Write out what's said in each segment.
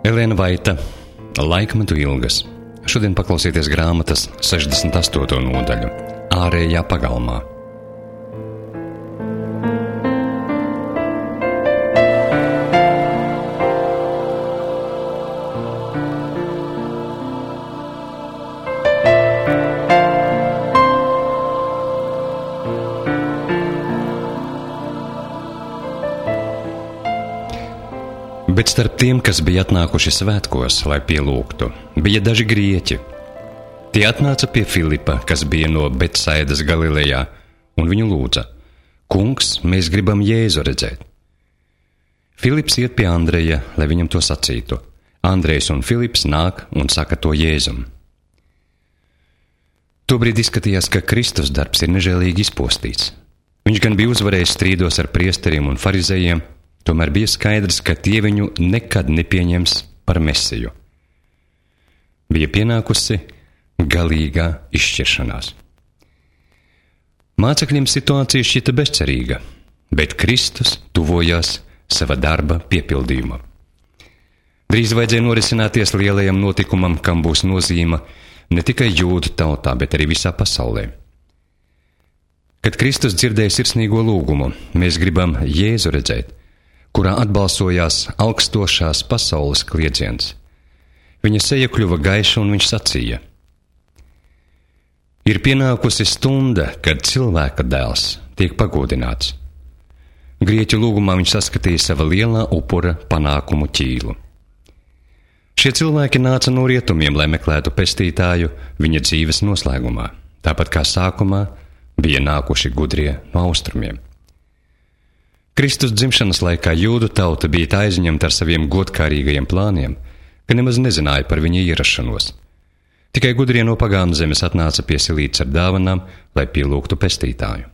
Elēna Vaita, Laikmetu ilgas. Šodien paklausieties grāmatas 68. nodaļu Ārējā pagalmā. Bet starp tiem, kas bija atnākuši svētkos, lai pielūgtu, bija daži grieķi. Tie atnāca pie Filipa, kas bija no Betsaidas Galilejā, un viņu lūdza: Kungs, mēs gribam Jēzu redzēt. Filips iet pie Andreja, lai viņam to sacītu. Andrejs un Filips nāk un saka to Jēzum. Tobrīd izskatījās, ka Kristus darbs ir nežēlīgi izpostīts. Viņš gan bija uzvarējis strīdos ar priesteriem un farizejiem, tomēr bija skaidrs, ka tie viņu nekad nepieņems par Mesiju. Bija pienākusi galīgā izšķiršanās. Mācekļiem situācija šķita bezcerīga, bet Kristus tuvojās sava darba piepildījuma. Drīz vajadzēja norisināties lielajam notikumam, kam būs nozīme ne tikai jūdu tautā, bet arī visā pasaulē. Kad Kristus dzirdēja sirsnīgo lūgumu, mēs gribam Jēzu redzēt, kurā atbalsojās augstošās pasaules kliedziens. Viņa seja kļuva gaiša un viņš sacīja: Ir pienākusi stunda, kad cilvēka dēls tiek pagodināts. Grieķu lūgumā viņš saskatīja sava lielā upura panākumu ķīlu. Šie cilvēki nāca no rietumiem, lai meklētu pestītāju viņa dzīves noslēgumā, tāpat kā sākumā bija nākuši gudrie no austrumiem. Kristus dzimšanas laikā jūdu tauta bija tā aizņemta ar saviem godkārīgajiem plāniem, ka nemaz nezināja par viņa ierašanos. Tikai gudrie no pagānu zemes atnāca piesilīts ar dāvanām, lai pielūgtu pestītāju.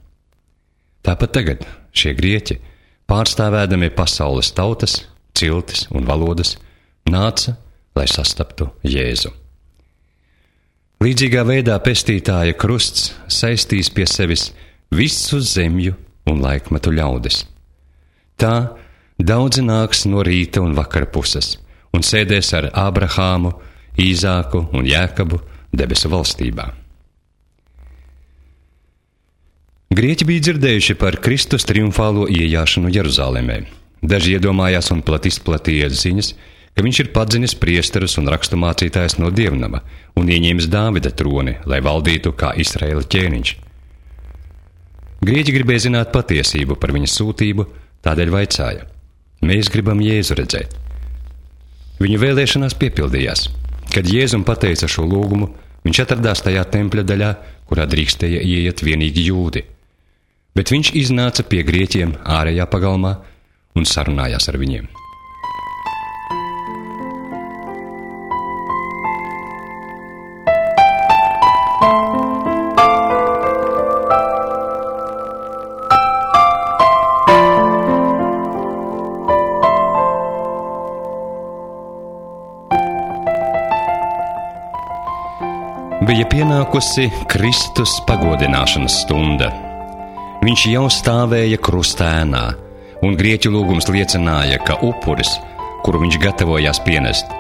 Tāpat tagad šie grieķi, pārstāvēdami pasaules tautas, ciltis un valodas, nāca, lai sastaptu Jēzu. Līdzīgā veidā pestītāja krusts saistīs pie sevis visu zemju un laikmetu ļaudis. Tā daudzi nāks no rīta un vakara puses un sēdēs ar Ābrahāmu, Īzāku un Jēkabu debesu valstībā. Grieķi bija dzirdējuši par Kristus triumfālo iejāšanu Jeruzālēmē. Daži iedomājās un izplatīja ziņas, ka viņš ir padzinis priesterus un raksturmācītājs no dievnama un ieņēmis Dāvida troni, lai valdītu kā Izraēla ķēniņš. Grieķi gribēja zināt patiesību par viņa sūtību, tādēļ vaicāja: Mēs gribam Jēzu redzēt. Viņu vēlēšanās piepildījās. Kad Jēzum pateica šo lūgumu, viņš atradās tajā tempļa daļā, kurā drīkstēja ieiet vienīgi jūdi. Bet viņš iznāca pie grieķiem ārējā pagalmā un sarunājās ar viņiem. Bija pienākusi Kristus pagodināšanas stunda. Viņš jau stāvēja krustēnā, un grieķu lūgums liecināja, ka upuris, kuru viņš gatavojās pienest,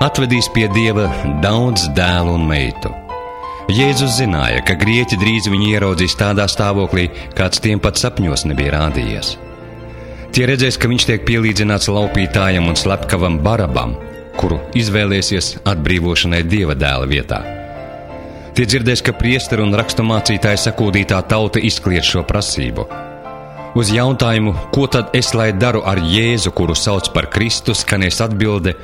atvedīs pie Dieva daudz dēlu un meitu. Jēzus zināja, ka grieķi drīz viņu ieraudzīs tādā stāvoklī, kāds tiem pat sapņos nebija rādījies. Tie redzēs, ka viņš tiek pielīdzināts laupītājam un slepkavam Barabam, kuru izvēlēsies atbrīvošanai Dieva dēla vietā. Tie dzirdēs, ka priesteri un raksturmācītāji sakūdītā tauta izkliedz šo prasību. Uz jautājumu, ko tad es lai daru ar Jēzu, kuru sauc par Kristu, skanēs atbilde: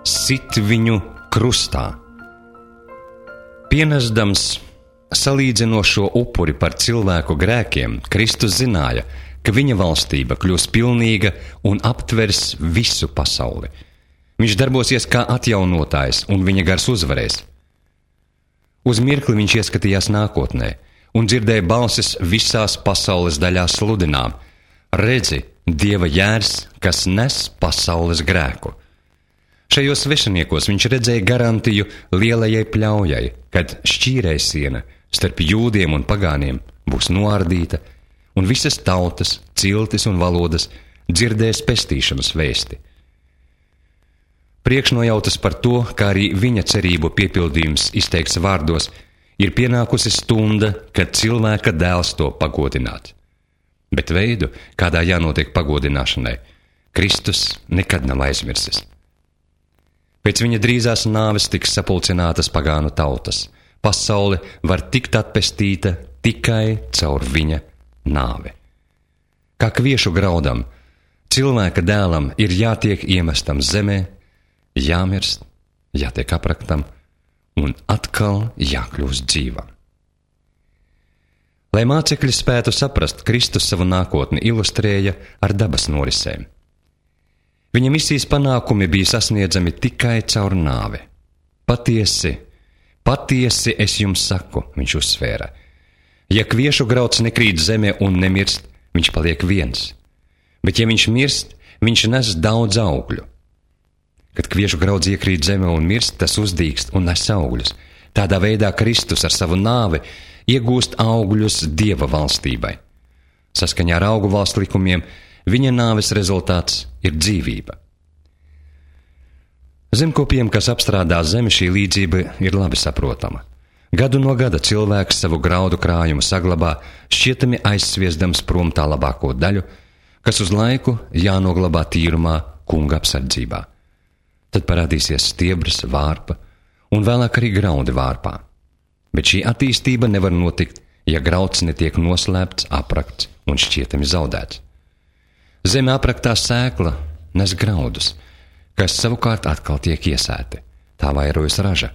sit viņu krustā. Pienesdams salīdzinošo upuri par cilvēku grēkiem, Kristus zināja, ka viņa valstība kļūs pilnīga un aptvers visu pasauli. Viņš darbosies kā atjaunotājs, un viņa gars uzvarēs. Uz mirkli viņš ieskatījās nākotnē un dzirdēja balsis visās pasaules daļās sludinām: redzi, Dieva jērs, kas nes pasaules grēku. Šajos svešiniekos viņš redzēja garantiju lielajai pļaujai, kad šķīrējsiena starp jūdiem un pagāniem būs noārdīta, un visas tautas, ciltis un valodas dzirdēs pestīšanas vēsti. Priekšnojautas par to, kā arī viņa cerību piepildījums izteikts vārdos, ir pienākusi stunda, kad cilvēka dēls to pagodināt. Bet veidu, kādā jānotiek pagodināšanai, Kristus nekad nav aizmirsis. Pēc viņa drīzās nāves tiks sapulcinātas pagānu tautas. Pasaule var tikt atpestīta tikai caur viņa nāvi. Kā kviešu graudam, cilvēka dēlam ir jātiek iemestam zemē, jāmirst, jātiek apraktam un atkal jākļūst dzīvam. Lai mācekļi spētu saprast, Kristus savu nākotni ilustrēja ar dabas norisēm. Viņa misijas panākumi bija sasniedzami tikai caur nāvi. Patiesi es jums saku, viņš uzsvēra. Ja kviešu grauds nekrīt zemē un nemirst, viņš paliek viens. Bet ja viņš mirst, viņš nes daudz augļu. Kad kviešu graudz iekrīt zemē un mirst, tas uzdīkst un nes augļus. Tādā veidā Kristus ar savu nāvi iegūst augļus Dieva valstībai. Saskaņā ar augu valsts likumiem, viņa nāves rezultāts ir dzīvība. Zemkopiem, kas apstrādā zemi, šī līdzība ir labi saprotama. Gadu no gada cilvēks savu graudu krājumu saglabā, šķietami aizsviesdams prom tā labāko daļu, kas uz laiku jānoglabā tīrumā kunga apsardzībā. Tad parādīsies stiebrs, vārpa un vēlāk arī graudi vārpā. Bet šī attīstība nevar notikt, ja grauds netiek noslēpts, aprakts un šķietami zaudēts. Zeme apraktā sēkla nes graudus, kas savukārt atkal tiek iesēti. Tā vairojas raža.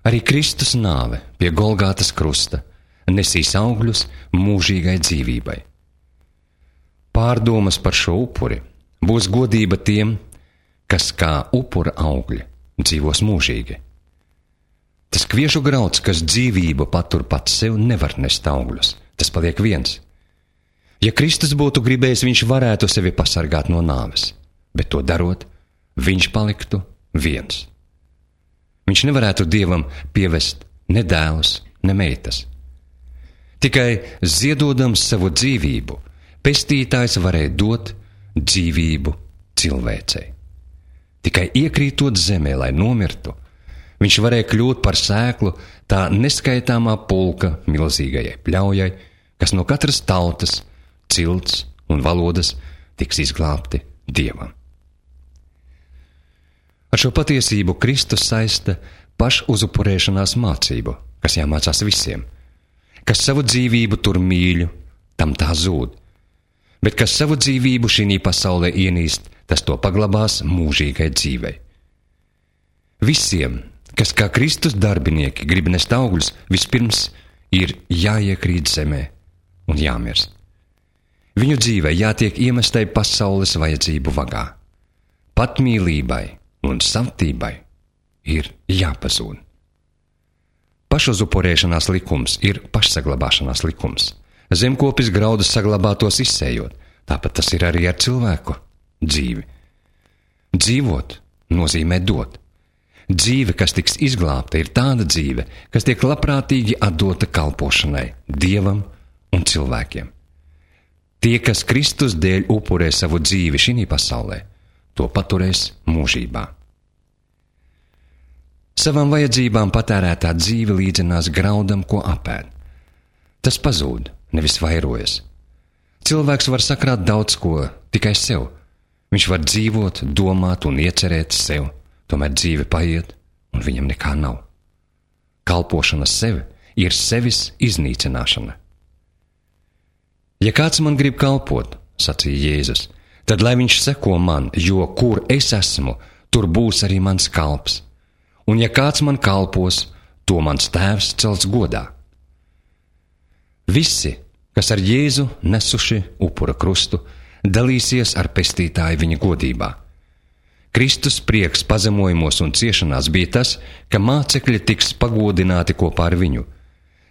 Arī Kristus nāve pie Golgātas krusta nesīs augļus mūžīgai dzīvībai. Pārdomas par šo upuri būs godība tiem, kas kā upura augļi dzīvos mūžīgi. Tas kviešu grauds, kas dzīvību patur pats sev, nevar nest augļus. Tas paliek viens. Ja Kristus būtu gribējis, viņš varētu sevi pasargāt no nāves, bet to darot, viņš paliktu viens. Viņš nevarētu Dievam pievest ne dēlus, ne meitas. Tikai ziedodams savu dzīvību, pestītājs varēja dot dzīvību cilvēcei. Tikai iekrītot zemē, lai nomirtu, viņš varēja kļūt par sēklu tā neskaitāmā pulka milzīgajai pļaujai, kas no katras tautas, cilts un valodas tiks izglābti Dievam. Ar šo patiesību Kristus saista pašuzupurēšanās mācību, kas jāmācās visiem. Kas savu dzīvību tur mīļu, tam tā zūd. Bet kas savu dzīvību šī pasaulē ienīst, tas to paglabās mūžīgai dzīvei. Visiem, kas kā Kristus darbinieki grib nest augļus, vispirms ir jāiekrīt zemē un jāmirst. Viņu dzīvei jātiek iemestai pasaules vajadzību vagā. Patmīlībai un savtībai ir jāpazūd. Pašuzupurēšanās likums ir pašsaglabāšanās likums. Zemkopis graudus saglabātos izsējot, tāpat tas ir arī ar cilvēku dzīvi. Dzīvot nozīmē dot. Dzīve, kas tiks izglābta, ir tāda dzīve, kas tiek labprātīgi atdota kalpošanai Dievam un cilvēkiem. Tie, kas Kristus dēļ upurē savu dzīvi šī pasaulē, to paturēs mūžībā. Savām vajadzībām patērētā dzīve līdzinās graudam, ko apēd. Tas pazūd, nevis vairojas. Cilvēks var sakrāt daudz ko tikai sev. Viņš var dzīvot, domāt un iecerēt sev, tomēr dzīve paiet un viņam nekā nav. Kalpošana sev ir sevis iznīcināšana. Ja kāds man grib kalpot, sacīja Jēzus, tad lai viņš seko man, jo kur es esmu, tur būs arī mans kalps. Un ja kāds man kalpos, to mans tēvs cels godā. Visi, kas ar Jēzu nesuši upura krustu, dalīsies ar pestītāju viņa godībā. Kristus prieks pazemojumos un ciešanās bija tas, ka mācekļi tiks pagodināti kopā ar viņu.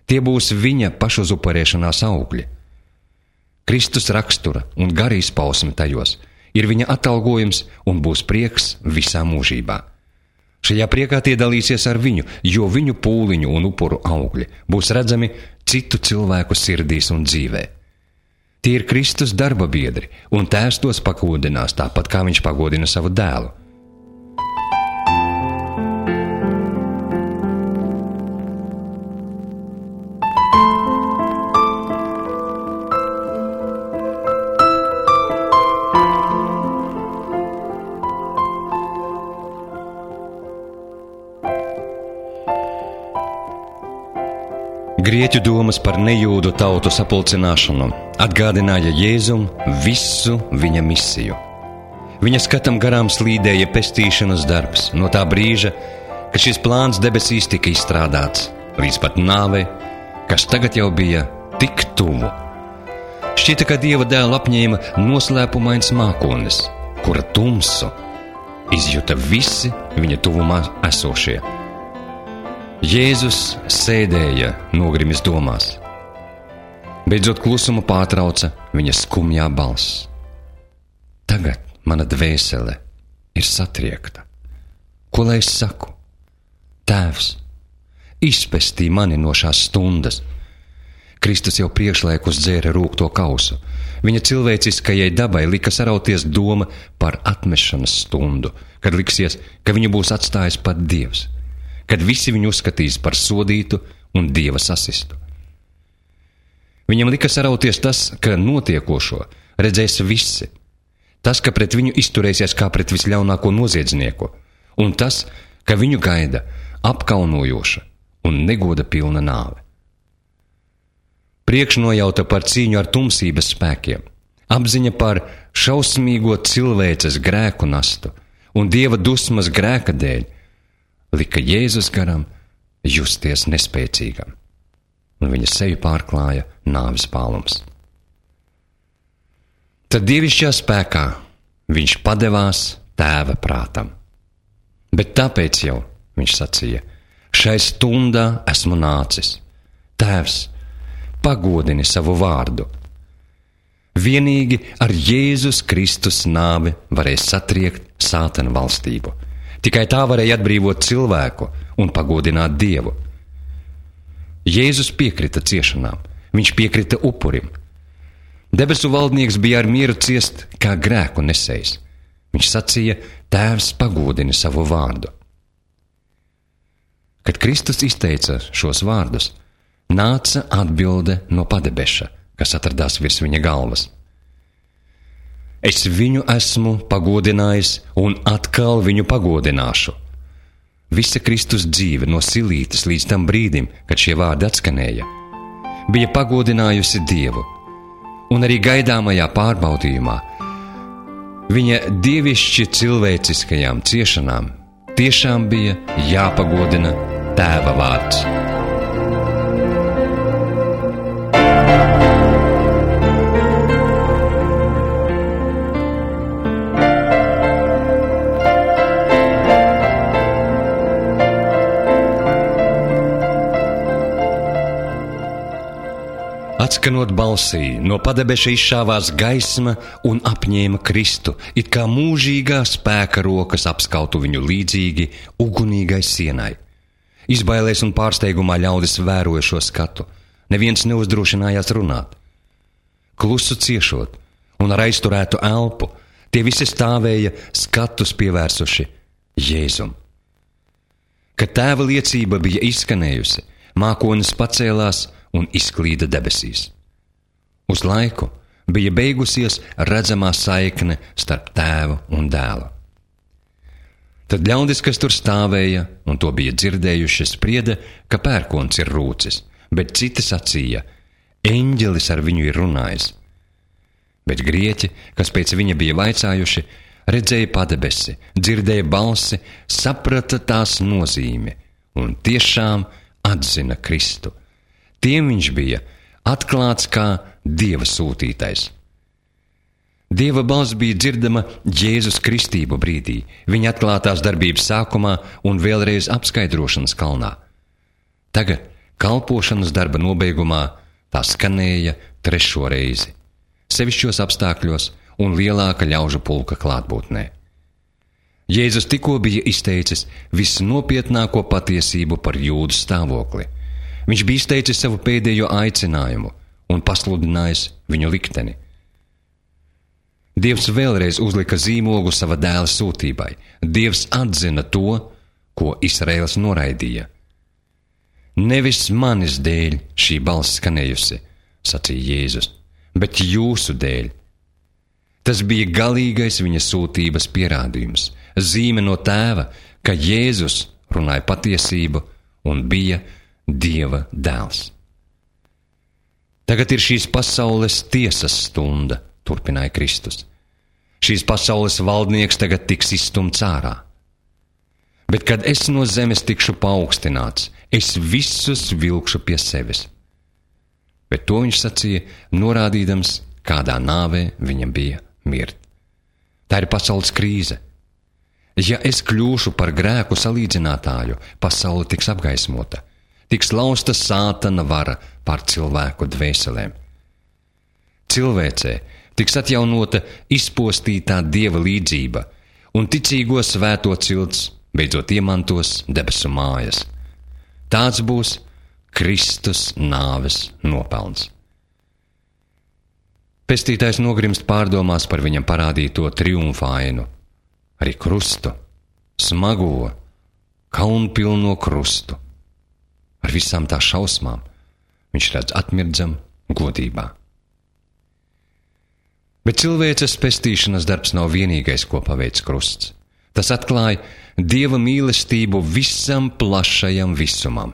Tie būs viņa pašuzupurēšanās augļi. Kristus rakstura un gara izpausme tajos ir viņa atalgojums un būs prieks visā mūžībā. Šajā priekā tie dalīsies ar viņu, jo viņu pūliņu un upuru augļi būs redzami citu cilvēku sirdīs un dzīvē. Tie ir Kristus darba biedri, un Tēvs tos pagodinās tāpat, kā viņš pagodina savu dēlu. Grieķu domas par nejūdu tautu sapulcināšanu atgādināja Jēzum visu viņa misiju. Viņa skatam garām slīdēja pestīšanas darbs no tā brīža, kad šis plāns debesīs tika izstrādāts, līdz pat nāvei, kas tagad jau bija tik tuvu. Šķita, ka Dieva dēlu apņēma noslēpumains mākonis, kura tumsu izjuta visi viņa tuvumā esošie. Jēzus sēdēja nogrimis domās. Beidzot klusumu pārtrauca viņa skumjā balss. Tagad mana dvēsele ir satriekta. Ko lai es saku? Tēvs, izpestī mani no šās stundas. Kristus jau priekšlaikus dzēra rūgto kausu. Viņa cilvēciskajai dabai lika sarauties doma par atmešanas stundu, kad liksies, ka viņu būs atstājis pat Dievs, kad visi viņu uzskatīs par sodītu un Dieva sasistu. Viņam lika sarauties tas, ka notiekošo redzēs visi, tas, ka pret viņu izturēsies kā pret visļaunāko noziedznieku, un tas, ka viņu gaida apkaunojoša un negoda pilna nāve. Priekšnojauta par cīņu ar tumsības spēkiem, apziņa par šausmīgo cilvēces grēku nastu un Dieva dusmas grēka dēļ lika Jēzus garam justies nespēcīgam, un viņa seju pārklāja nāves pālums. Tad dievišķā spēkā viņš padevās Tēva prātam. Bet tāpēc jau, viņš sacīja, šai stundā esmu nācis. Tēvs, pagodini savu vārdu. Vienīgi ar Jēzus Kristus nāvi varēs satriekt sātana valstību. Tikai tā varēja atbrīvot cilvēku un pagodināt Dievu. Jēzus piekrita ciešanām, viņš piekrita upurim. Debesu valdnieks bija ar mieru ciest kā grēku nesējs. Viņš sacīja, Tēvs, pagodini savu vārdu. Kad Kristus izteica šos vārdus, nāca atbilde no padebeša, kas atradās virs viņa galvas. Es viņu esmu pagodinājis un atkal viņu pagodināšu. Visa Kristus dzīve no silītes līdz tam brīdim, kad šie vārdi atskanēja, bija pagodinājusi Dievu, un arī gaidāmajā pārbaudījumā viņa dievišķi cilvēciskajām ciešanām tiešām bija jāpagodina Tēva vārds. Atskanot balsī, no padebeša izšāvās gaisma un apņēma Kristu, it kā mūžīgā spēka rokas apskautu viņu līdzīgi ugunīgai sienai. Izbailēs un pārsteigumā ļaudis vēroja šo skatu. Neviens neuzdrošinājās runāt. Klusu ciešot un ar aizturētu elpu, tie visi stāvēja skatus pievērsuši Jēzum. Kad Tēva liecība bija izskanējusi, mākonis pacēlās un izklīda debesīs. Uz laiku bija beigusies redzamā saikne starp Tēvu un Dēlu. Tad ļaudis, kas tur stāvēja un to bija dzirdējuši, sprieda, ka pērkons ir rūcis, bet citi sacīja, eņģelis ar viņu ir runājis. Bet grieķi, kas pēc viņa bija vaicājuši, redzēja padebesi, dzirdēja balsi, saprata tās nozīmi un tiešām atzina Kristu. Tiem viņš bija atklāts kā Dieva sūtītais. Dieva balss bija dzirdama Jēzus kristību brīdī, viņa atklātās darbības sākumā un vēlreiz apskaidrošanas kalnā. Tagad, kalpošanas darba nobeigumā, tā skanēja 3. reizi, sevišķos apstākļos un lielāka ļaužu pulka klātbūtnē. Jēzus tikko bija izteicis visnopietnāko patiesību par jūdu stāvokli. Viņš bija izteicis savu pēdējo aicinājumu un pasludinājis viņu likteni. Dievs vēlreiz uzlika zīmogu sava dēla sūtībai. Dievs atzina to, ko Izraēls noraidīja. Nevis manis dēļ šī balss skanējusi, sacīja Jēzus, bet jūsu dēļ. Tas bija galīgais viņa sūtības pierādījums, zīme no Tēva, ka Jēzus runāja patiesību un bija Dieva dēls. Tagad ir šīs pasaules tiesas stunda, turpināja Kristus. Šīs pasaules valdnieks tagad tiks izstumts ārā. Bet, kad es no zemes tikšu paaugstināts, es visus vilkšu pie sevis. Bet to viņš sacīja, norādīdams, kādā nāvē viņam bija mirt. Tā ir pasaules krīze. Ja es kļūšu par grēku salīdzinātāju, pasaule tiks apgaismota, tiks lausta sātana vara pār cilvēku dvēselēm. Cilvēcē tiks atjaunota izpostītā Dieva līdzība, un ticīgo svēto cilts beidzot iemantos debesu mājas. Tāds būs Kristus nāves nopelns. Pestītājs nogrimst pārdomās par viņam parādīto triumfa ainu, arī krustu, smago, kaunpilno krustu. Ar visām tā šausmām viņš redz atmirdzam godībā. Bet cilvēces pestīšanas darbs nav vienīgais, ko paveic krusts. Tas atklāja Dieva mīlestību visam plašajam visumam.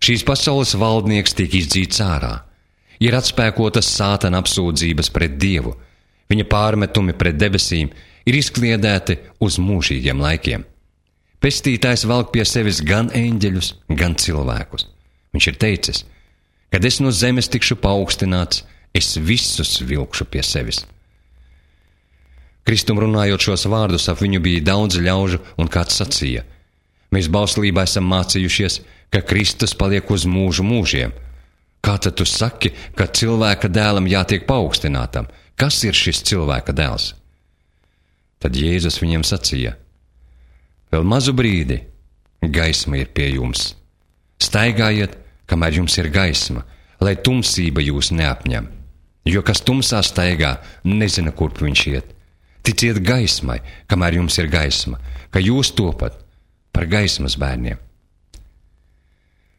Šīs pasaules valdnieks tiek izdzīts ārā. Ir atspēkotas sātana apsūdzības pret Dievu. Viņa pārmetumi pret debesīm ir izkliedēti uz mūžīgiem laikiem. Pestītājs velk pie sevis gan eņģeļus, gan cilvēkus. Viņš ir teicis, kad es no zemes tikšu paaugstināts, es visus vilkšu pie sevis. Kristum runājot šos vārdus, ap viņu bija daudz ļaužu, un kāds sacīja: mēs bauslībā esam mācījušies, ka Kristus paliek uz mūžu mūžiem. Kā tad tu saki, ka cilvēka dēlam jātiek paaugstinātam? Kas ir šis cilvēka dēls? Tad Jēzus viņiem sacīja: vēl mazu brīdi gaisma ir pie jums. Staigājiet, kamēr jums ir gaisma, lai tumsība jūs neapņem. Jo kas tumsā staigā, nezina, kurp viņš iet. Ticiet gaismai, kamēr jums ir gaisma, ka jūs topat par gaismas bērniem.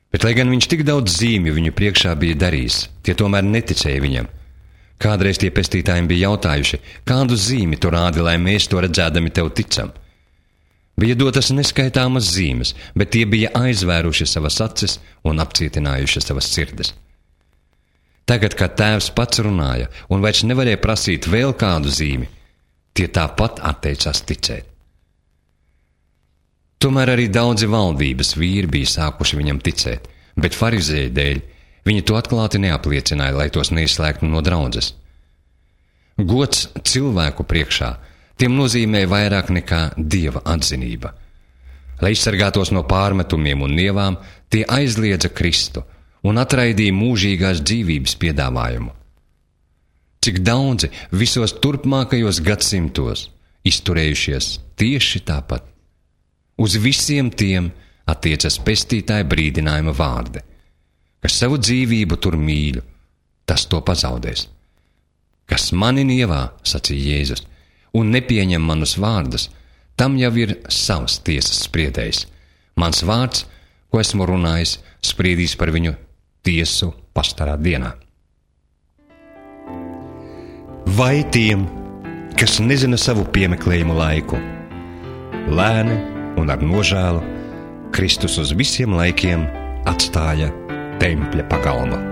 Bet, lai gan viņš tik daudz zīmju viņu priekšā bija darījis, tie tomēr neticēja viņam. Kādreiz tie pestītājiem bija jautājuši, kādu zīmi tu rādi, lai mēs to redzēdami tev ticam. Bija dotas neskaitāmas zīmes, bet tie bija aizvēruši savas acis un apcietinājuši savas sirdis. Tagad, kad tēvs pats runāja un vairs nevarēja prasīt vēl kādu zīmi, tie tāpat atteicās ticēt. Tomēr arī daudzi valdības vīri bija sākuši viņam ticēt, bet farizēju dēļ viņi to atklāti neapliecināja, lai tos neizslēgtu no draudzes. Gods cilvēku priekšā tiem nozīmēja vairāk nekā Dieva atzinība. Lai izsargātos no pārmetumiem un nievām, tie aizliedza Kristu un atraidīja mūžīgās dzīvības piedāvājumu. Cik daudzi visos turpmākajos gadsimtos izturējušies tieši tāpat. Uz visiem tiem attiecas pestītāja brīdinājuma vārdi, kas savu dzīvību tur mīļu, tas to pazaudēs. Kas mani nievā, sacīja Jēzus, un nepieņem manus vārdus, tam jau ir savs tiesas spriedējs. Mans vārds, ko esmu runājis, spriedīs par viņu tiesu pastarā dienā. Vai tiem, kas nezina savu piemeklējumu laiku, lēni un ar nožēlu Kristus uz visiem laikiem atstāja tempļa pagalmu.